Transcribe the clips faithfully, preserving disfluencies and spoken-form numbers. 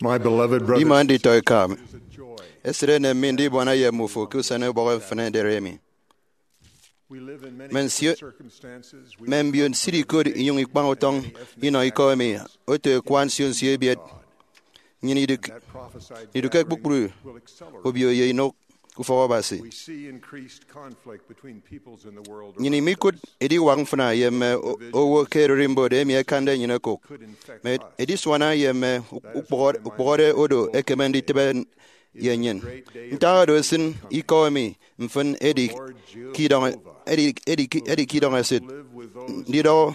My beloved brothers, ima nditọ eka mi, esịt enem mi ndibuana ye mmufo ke usen ubọk mfịn ederi emi. We live in many mme nsio circumstances we mme mbio nsiri ikot inyụñ ikpañ utọñ inọ ikọ emi oto ekua nsio nsio ebiet. Nnyịn idụk idụkke kpukpru obio ye inụk ufọk Abasi. We see increased conflict between peoples in the world. Nnyịn imikụt ediwak mfịna ye mme o- owo ke ererimbot emi ẹkande nnyịn okụk, mme edisuana ye mme ukpụhọde ukpụhọde odo ekeme nditịbe ye nnyịn. Ntak oro esịn ikọ emi mfịn edi ke idọñ edi edi ke idọñ esịt ndidọhọ.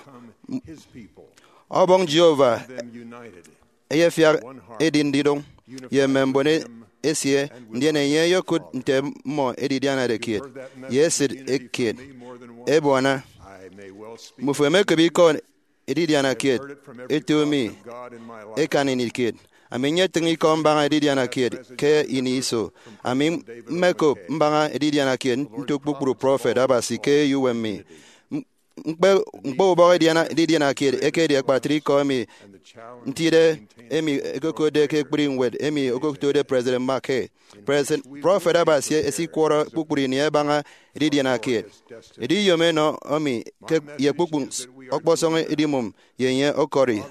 Ọbọñ Jehovah eyefiak edi ndidụñ ye mme mbon esie, ndien enye eyekụt nte mmọ edidianade kiet ye esịt kiet ebuana. Mmufo emekop ikọ edidiana kiet eto mi ekan ini kiet. Ami nyetịñ ikọ mbaña edidiana kiet ke ini iso. Ami mmekop mbaña edidiana kiet nto kpukpru prọfet Abasi ke eyouwem mi. Ñkpe ñkpe ubọk edidiana kiet ekedi akpatre ikọ emi ntide emi ẹkokotde ke ekpri ñwed emi okotode President McKay. President, prọfet Abasi esikwọrọ kpukpru ini ẹbaña edidiana kiet. Ediyom enọ emi ke ye kpukpru ọkpọsọñ edimụm ye enye ọkọri.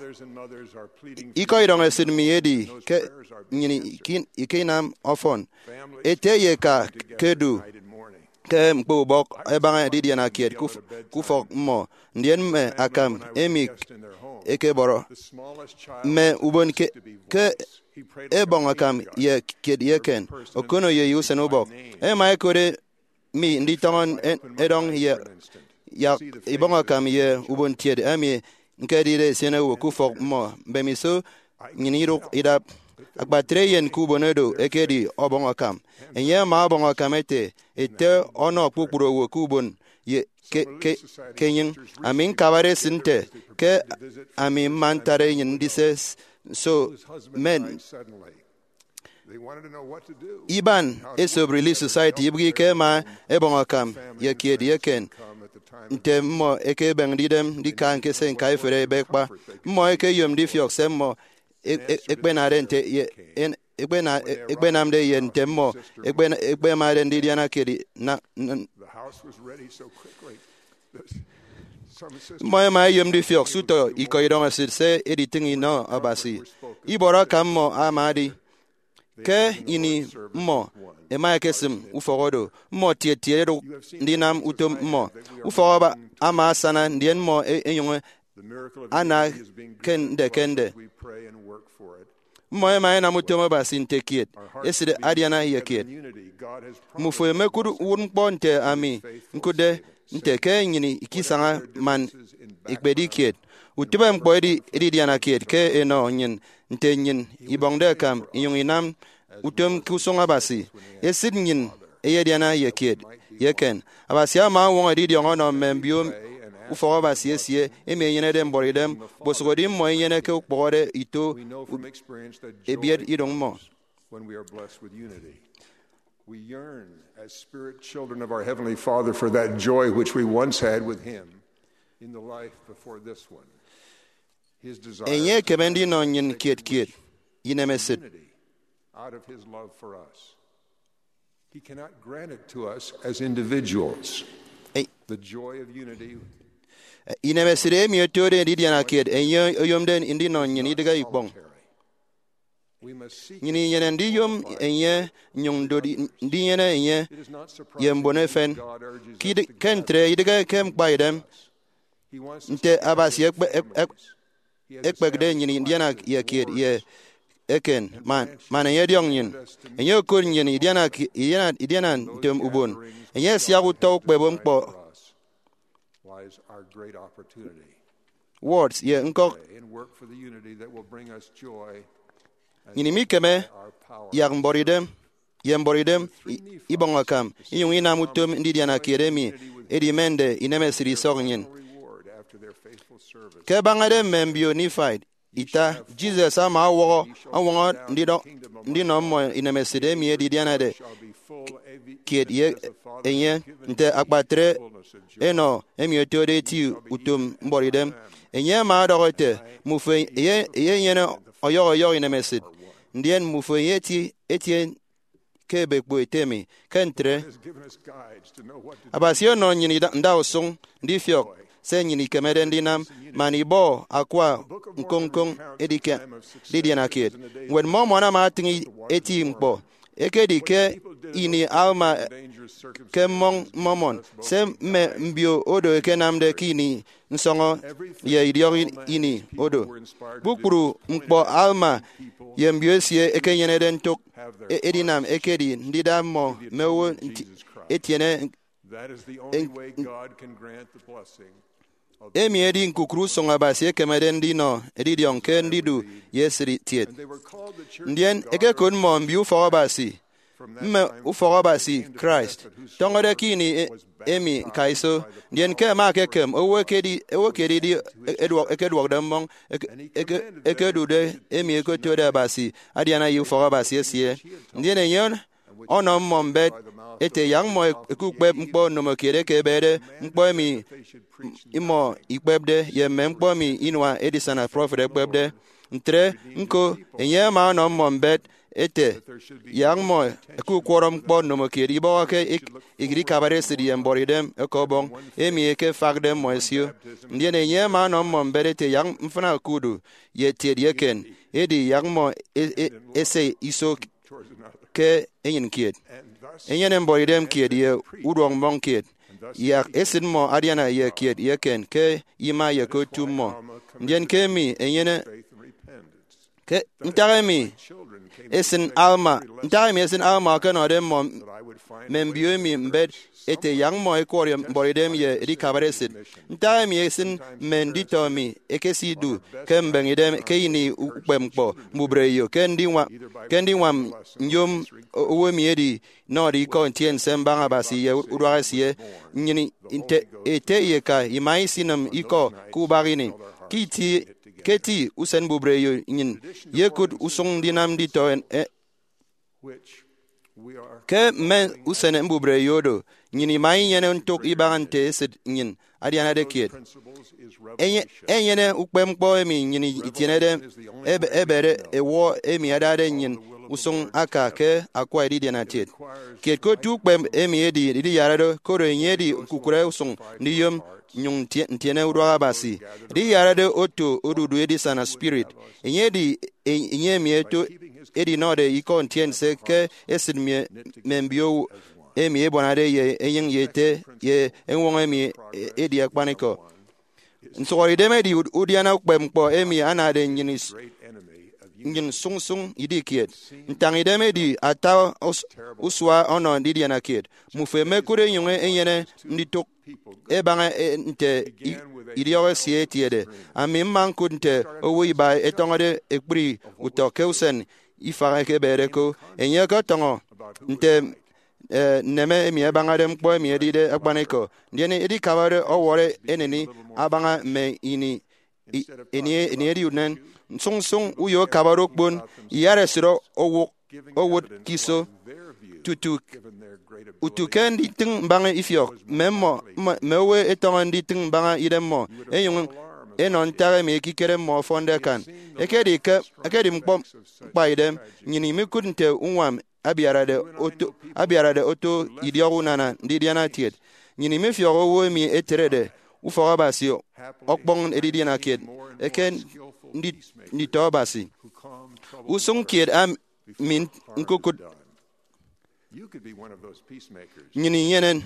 Ikọ idọñ esịt mi edi ke nnyịn ikinam ọfọn. Ete ye eka ke du ke ñkpe ubọk ẹbaña edidiana kiet ke ufọk mmọ, ndien mme akam emi ẹkebọrọ mme ubon ke ẹbọñ akam ye kiet ye eken, okono ye usen ubọk. Ẹma ẹkot mi nditọñọ edọñ ye yak ibọñ akam ye ubon kiet emi ñkedide esien owo ke ufọk mmọ. Mbemiso nnyịn idụk idap akpatre eyen ke ubon oro ekedi ọbọñ akam. Enye ama ọbọñ akam ete, ete ọnọ kpukpru owo ke ubon ye ke ke ke enyịñ. Ami ñkabade esịt nte ke ami mma ntara enyịn ndise nso men. Iban esop Relief Society ibịghike ẹma ẹbọñ akam ye kiet ye eken nte mmọ ẹkebeñde idem ndika ñkese ñkaiferi ebe kpa. Mmọ ẹkeyom ndifiọk se mmọ ekpenade nte ye ekpenamde ye nte mmọ ekpemade ndidiana kiet. Mmọ ẹma ẹyom ndifiọk se utọ ikọ idọñ esịt se editịñ inọ Abasi. Ibọrọ akam mmọ ama edi ke ini mmọ ẹma ẹkesịm ufọk oro, mmọ tiet tiet ẹdụk ndinam utom mmọ. Ufọk ama asana, ndien mmọ ẹnyụñ ana ke nde ke nde. Mmọ ẹma ẹnam utom Abasi nte kiet esịt adiana ye kiet. Mmufo emekụt uwụtñkpọ nte ami ñkụtde nte ke nnyịn ikisaña man ikpedi kiet. Utịbeñkpọ edi edidiana kiet ke enọ nnyịn nte nnyịn ibọñde akam inyụñ inam utom ke usụñ Abasi. Esịt nnyịn eyediana ye kiet ye eken. Abasi ama ọñwọñọ edidiọñ ọnọ mme mbio ufọk Abasi esie emi ẹnyenede mbọrọidem, okposụkedi mmọ inyeneke ukpụhọde ito ebiet idụñ mmọ. When we are blessed with unity, we yearn as spirit children of our Heavenly Father for that joy which we once had with Him in the life before this one. His desire enye ekeme ndinọ nnyịn kiet kiet inemesịt. Unity out of His love for us. He cannot grant it to us as individuals. The joy of unity. Inemesịt emi otode edidiana kiet enye oyomde ndinọ nnyịn idịghe ikpọñ. Nnyịn inyene ndiyom enye nnyụñ ndodi ndinyene enye ye mbon efen. Ke ntre, idịghe ke ñkpaidem nte Abasi ekpekde nnyịn idiana ye kiet ye eken man enye ọdiọñ nnyịn. Enye okot nnyịn idiana idiana ntem ubon. Enye asiak utọ ukpep ñkpọ. Words ye ñkọk. Nnyịn imikeme yak mbọrọidem ye mbọrọidem ibọñ akam inyụñ inam utom ndidiana kiet emi edimende inemesịt isọk nnyịn. Ke ẹbañade mme mbio Nephi ita, Jesus ama ọwọhọ ọñwọñọ ndinọ mmọ inemesịt emi edidianade kiet ye enye nte akpatre enọ emi otode eti utom mbọrọidem. Enye ama ọdọhọ ete, mmufo eyenyene ọyọhọ ọyọhọ inemesịt. ndien mmufo enye eti etie ke ebekpo ete mi. Ke ntre, Abasi ọnọ nnyịn ida- ndausụñ ndifiọk se nnyịn ikemede ndinam man ibọ akwa ñkoñ-ñkoñ edidiana kiet. Ñwed Mormon ama atịñ eti ñkpọ. Ekedi ke ini Alma ke mmọñ Mormon, se mme mbio odo ẹkenamde ke ini nsọñọ ye idiọk ini odo. Kpukpru ñkpọ Alma ye mbio esie ẹkenyenede ntụk e- edinam ekedi ndida mmọ mme owo nti- etiene. Emi edi ñkukụre usụñ Abasi ekemede ndinọ edidiọñ ke ndidu ye esịt itiet. Ndien ẹkekot mmọ mbio ufọk Abasi, mme ufọk Abasi Christ, tọñọde ke ini e- emi ñkaiso. Ndien ke ẹma ẹkekem owo ekedi, owo ekedi ekeduọkde mmọñ eke- eke- ekedude emi ẹkotode Abasi adiana ye ufọk Abasi esie. Ndien enye ọnọ mmọ mbet ete yak mmọ ẹkukpep ñkpọ ndomokiet eke ebede ñkpọ emi imọ ikpepde ye mme ñkpọ emi inua edisana prọfet ẹkpepde. Ntre ñko, enye ama ọnọ mmọ mbet ete yak mmọ ẹkukwọrọ ñkpọ ndomokiet ibọhọke ik- ikabare esịt ye mbuọtidem eke Ọbọñ emi ekefakde mmọ ẹsio. Ndien enye ama ọnọ mmọ mbet ete yak mfịna okudu ye etiet ye eken, edi yak mmọ e- e- ese iso ke enyịn kiet, enyene mbuọtidem kiet ye uduọk mmọñ kiet, yak esịt mmọ adiana ye kiet ye eken ke ima ye ke otu mmọ. Ndien ke emi enyene ke ntak emi esịn Alma, ntak emi esịn Alma ọkenọde mmọ mme mbio emi mbet ete yak mmọ ẹkwọrọ mbuọtidem ye edikabare esịt. Ntak emi esịn mme nditọ mi ẹkesidu ke mbeñe idem ke ini ukpepñkpọ mbubreyo ke ndiñwa- ke ndiñwam nyom owo emi edi nọde ikọ ntiense mbaña Abasi ye uduak esie. Nnyịn nte ete ye eka ima isinịm ikọ ke ubak ini. Ke iti- ke eti usen mbubreyo nnyịn yekụt usụñ ndinam nditọ en- e- ke mme usen mbubreyo odo, nnyịn ima inyene ntụk ibaña nte esịt nnyịn adianade kiet. Enye- enyene ukpepñkpọ emi nnyịn itienede ebe- ebede ewọ emi adade nnyịn usụñ aka ke akwa edidiana kiet. Kiet ke otu ukpep emi edi idiyarade, koro enye edi ñkukụre usụñ ndiyom nnyụñ ntie- ntiene uduak Abasi. Idiyarade oto odudu edisana spirit. Enye edi e- enye emi eto edinọde ikọ ntiense ke esịt mme- mme mbio emi ebuanade ye enyịñ ye ete ye eñwọñọ emi e- edi akpanikọ. Nsụhọdeidem edi ud- udiana ukpepñkpọ emi anade nnyịn is- nnyịn sụñsụñ idi kiet. Ntañidem edi ata us- usua ọnọ ndidiana kiet. Mmufo ẹmekụt ẹnyụñ ẹnyene nditụk ẹbaña e- nte i- idiọk esie etiede. Ami mma ñkụt nte owo iba ẹtọñọde ekpri utọ ke usen ifak eke ebede ko. Enye ọkọtọñọ nte e, nneme emi ẹbañade ñkpọ emi edide akpanikọ, ndien edikabade ọwọrọ eneni abaña mme ini i- ini ini edi unen. Nsụñsụñ uyo akabade okpon iyatesịt owụk owụt ke iso tutu utu ke nditịñ mbaña ifiọk mme mmọ mme- mme owo ẹtọñọ nditịñ mbaña idemmọ ẹnyụñ ẹnọ ntak emi ekikere mmọ ọfọnde akan. Ekedi ke ekedi ñkpọ ñkpaidem, nnyịn imikụt nte uñwam abiarade oto abiarade oto idiọk unana ndidiana kiet. Nnyịn imifiọk owo emi eterede ufọk Abasi ọkpọñ edidiana kiet eke ndi- nditọ Abasi. Usụñ kiet am- mi ñkokụt nnyịn inyene.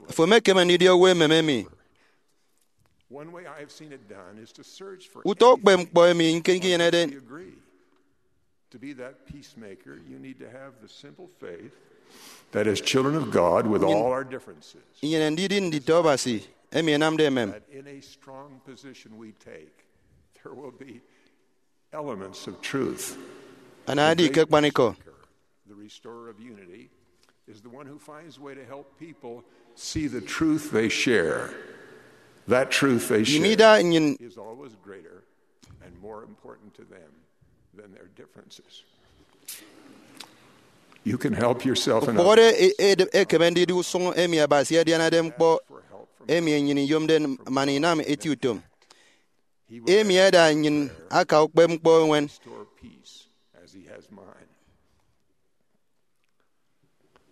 Afo emekeme ndidi owo emem emi. Utọ ukpepñkpọ emi ñkenyenede. To be that peacemaker, you need to have the simple faith that as children of God, with all our differences, inyene ndidi nditọ Abasi emi ẹnamde emem. That in a strong position we take, there will be elements of truth. Anaedi ke akpanikọ. The restorer of unity is the one who finds a way to help people see the truth they share. That truth they share is always greater and more important to them than their differences. You can help yourself and others. Okpụhọde e- e- ekeme ndidi usụñ emi Abasi adianade ñkpọ emi nnyịn iyomde man inam eti utom. Emi ẹda nnyịn aka ukpepñkpọ eñwen. peace as he has mine.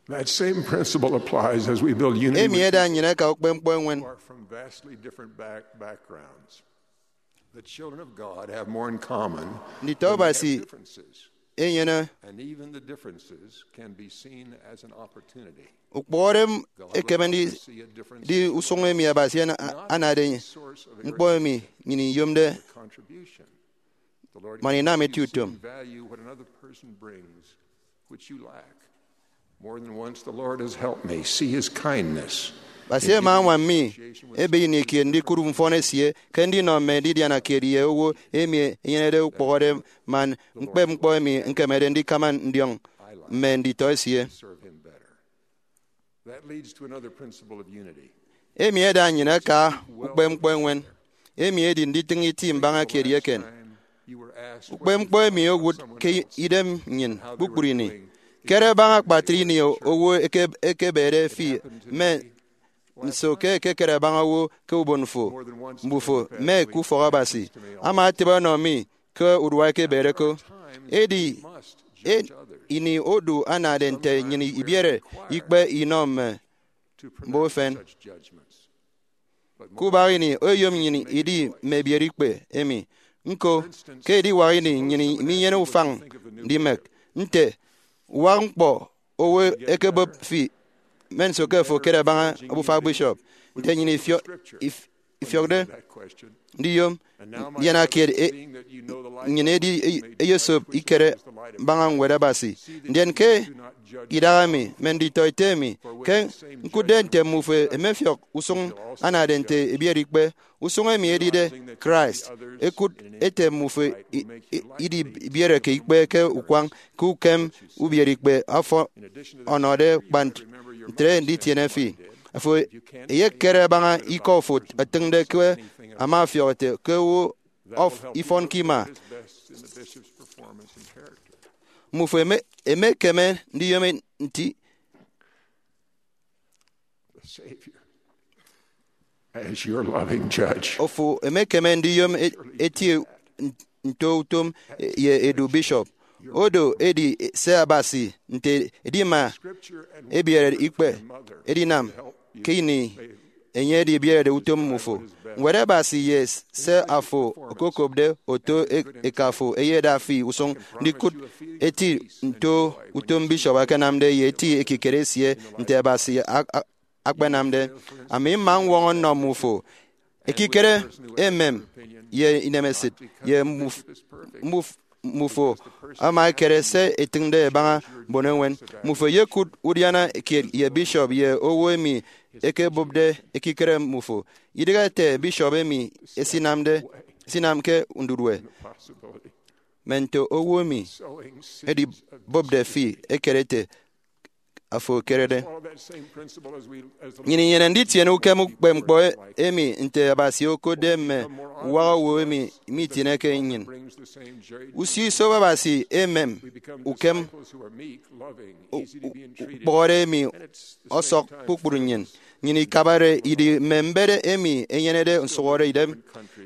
That same principle applies as we build unity. Emi with eda nnyịn aka ukpepñkpọ eñwen. Who are from vastly different back-, backgrounds. The children of God have more in common. Nditọ Abasi enyene. And even the differences can be seen as an opportunity. Ukpọhọde m ekeme ndi, di usụñ emi Abasi ana-, anade ñkpọ emi nnyịn iyomde man inam eti utom. Value what another person brings, which you lack. More than once, the Lord has helped me see his kindness. Abasi ama añwam mi ebe ini kiet ndikụt mfọn esie ke ndinọ mme ndidiana kiet ye owo emi enyenede ukpọhọde man ñkpep ñkpọ emi ñkemede ndikama ndiọñ mme nditọ esie. That leads to another principle of unity. Emi eda nnyịn aka ukpepñkpọ eñwen, emi edi nditịñ iti mbaña kiet ye eken. Ukpepñkpọ emi owụt ke idem nnyịn kpukpru ini. Kere baña akpatre ini owo eke-, ekebede fi mme nso ke ekekere baña owo ke ubon fo, mbufo, mme ke ufọk Abasi. Ama etịbe ọnọ mi ke urua ekebede ko. Edi, e-, ini odu anade nte nnyịn ibiere ikpe inọ mme mbon efen. Ke ubak ini, oyom nnyịn idi mme ebiere ikpe emi. Ñko, ke ediwak ini, nnyịn minyene ufañ ndimek nte uwak ñkpọ owo ekebụp fi, mme nso ke fo ekere baña obufa bishop, nte nnyịn ifio-, if-, ifiọkde ndiyom ndiana kiet e-, nnyịn edi e-, eyesop ikere baña Ñwed Abasi. Ndien ke idaha emi, mme nditọ ete mi ke ñkụtde nte mmufo emefiọk usụñ anade nte ebiere ikpe, usụñ emi edide Christ, ekụt ete mmufo i-, i-, idi ibiereke ikpe ke ukwañ ke ukem ubiere ikpe afo ọnọde kpa ntre nditiene fi. Afo eyekere baña ikọ fo etịñde ke ama ọfiọk ete ke owo of ifọn ke ima. Mmufo eme-, emekeme ndiyom nti The Savior as your loving judge. Ofo emekeme ndiyom e-, etie n-, nto utom ye edu bishop. Odo edi se Abasi nte edima ebiere ikpe edinam ke ini enye edibierede utom mmufo. Ñwed Abasi ye se afo okokopde oto e-, eka fo eyeda fi usụñ ndikụt eti nto utom bishop akanamde ye eti ekikere esie nte Abasi a-, a-, akpanamde. Ami mma ñwọñọ nnọ mmufo ekikere emem ye inemesịt ye mmuf-, mmuf-, mmufo ama ekere se etịñde ebaña mbon eñwen. Mmufo eyekụt udiana kiet ye bishop ye owo emi ekebụpde ekikere mmufo. Idịghe ete bishop emi esinamde, esinamke ndudue, mme nto owo emi edibụpde fi ekere ete afo ekerede. Nnyịn inyene nditiene ukem ukpepñkpọ emi nte Abasi okotde mme uwak owo emi mitieneke nnyịn. Usio isop Abasi emem ukem u-, u-, ukpọhọde emi ọsọk kpukpru nnyịn. Nnyịn ikabare idi mme mbet emi enyenede nsụhọdeidem,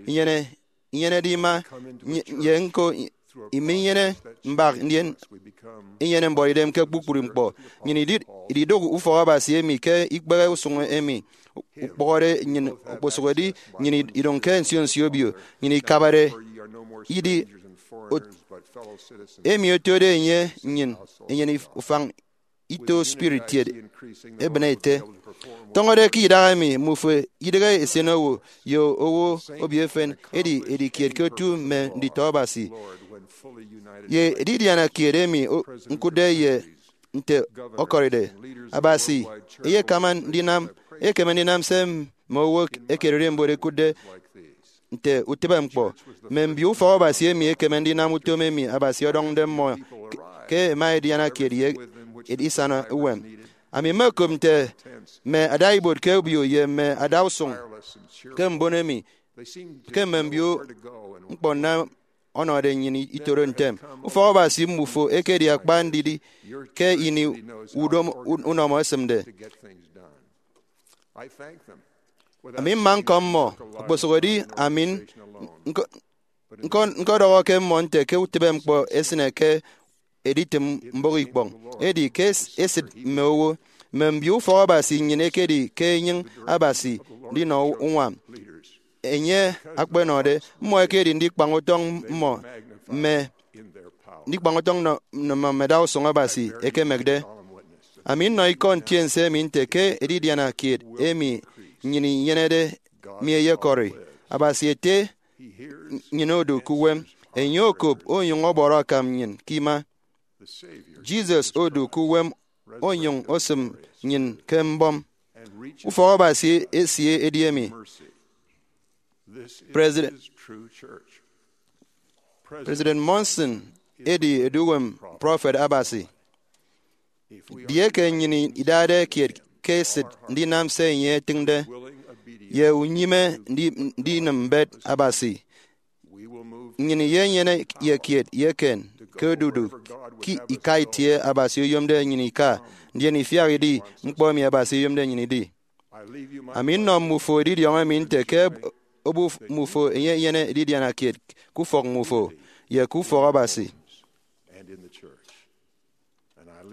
inyene inyenede ima, ny-, ye ñko i-, iminyene mbak, ndien inyene mbuọtidem ke kpukpru ñkpọ. Nnyịn idi-, ididụk ufọk Abasi emi ke ikpehe usụñ emi ukpọhọde nnyịn okposụkedi nnyịn id-, idụñ ke nsio nsio obio. Nnyịn ikabare idi ot-, emi otode enye nnyịn enyene if-, ufañ ito spirit kiet ebịne ete. Tọñọde ke idaha emi, mmufo idịghe esenowo ye owo obio efen, edi edi kiet ke otu mme nditọ Abasi. Ye edidiana kiet emi o-, ñkụtde ye nte ọkọride, Abasi eyekama ndinam, ekeme ndinam se mme owo ekededi mbot ekụtde nte utịbeñkpọ. Mme mbio ufọk Abasi emi ekeme ndinam utom emi Abasi ọdọñde mmọ ke, ke ẹma ẹdiana kiet ye edisana uwem. Ami mmekop nte mme adaibuot ke obio ye mme adausụñ ke mbon emi, ke mme mbio ñkpọ nnam ọnọde nnyịn itoro ntem. Ufọk Abasi mmufo ekedi akpa ndidi ke ini udom, unọmọ esịmde. Ami mma ñkọm mmọ, okposụkedi ami ñko-, Ñko-, ñkọdọhọ ke mmọ nte ke utịbeñkpọ esịne ke editịm mbụk ikpọñ, edi ke es-, esịt mme owo. Mme mbio ufọk Abasi nnyịn ẹkedi ke enyịñ Abasi ndinọ uñwam. Enye akpenọde, mmọ ẹkedi ndikpañ utọñ mmọ mme ndikpañ utọñ nnọ, nnọ mme adausụñ Abasi ẹkemekde. Ami nnọ ikọ ntiense emi nte ke edidiana kiet emi nnyịn inyenede mi eyekọri. Abasi ete nnyịn odu ke uwem, enye okop onyụñ ọbọrọ akam nnyịn ke ima. Jesus odu ke uwem onyụñ osịm nnyịn ke mbọm. Ufọk Abasi esie edi emi. President, President Monson edi eduuwem prọfet Abasi. Edieke nnyịn idade kiet ke esịt ndinam se enye etịñde, ye unyịme ndi-, ndinịm mbet Abasi, nnyịn iyenyene ye kiet ye eken ke odudu ke ika itie Abasi oyomde nnyịn ika, ndien ifiak idi ñkpọ emi Abasi oyomde nnyịn idi. Ami nnọ mmufo edidiọñ emi nte ke obu mmufo enye enyene edidiana kiet ke ufọk mmufo ye ke ufọk Abasi.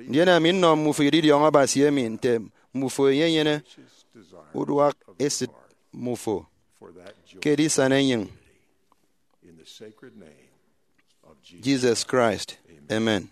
Ndien ami nnọ mmufo edidiọñ Abasi emi nte mmufo enye enyene uduak esịt mmufo ke edisana enyịñ. Jesus Christ. Amen.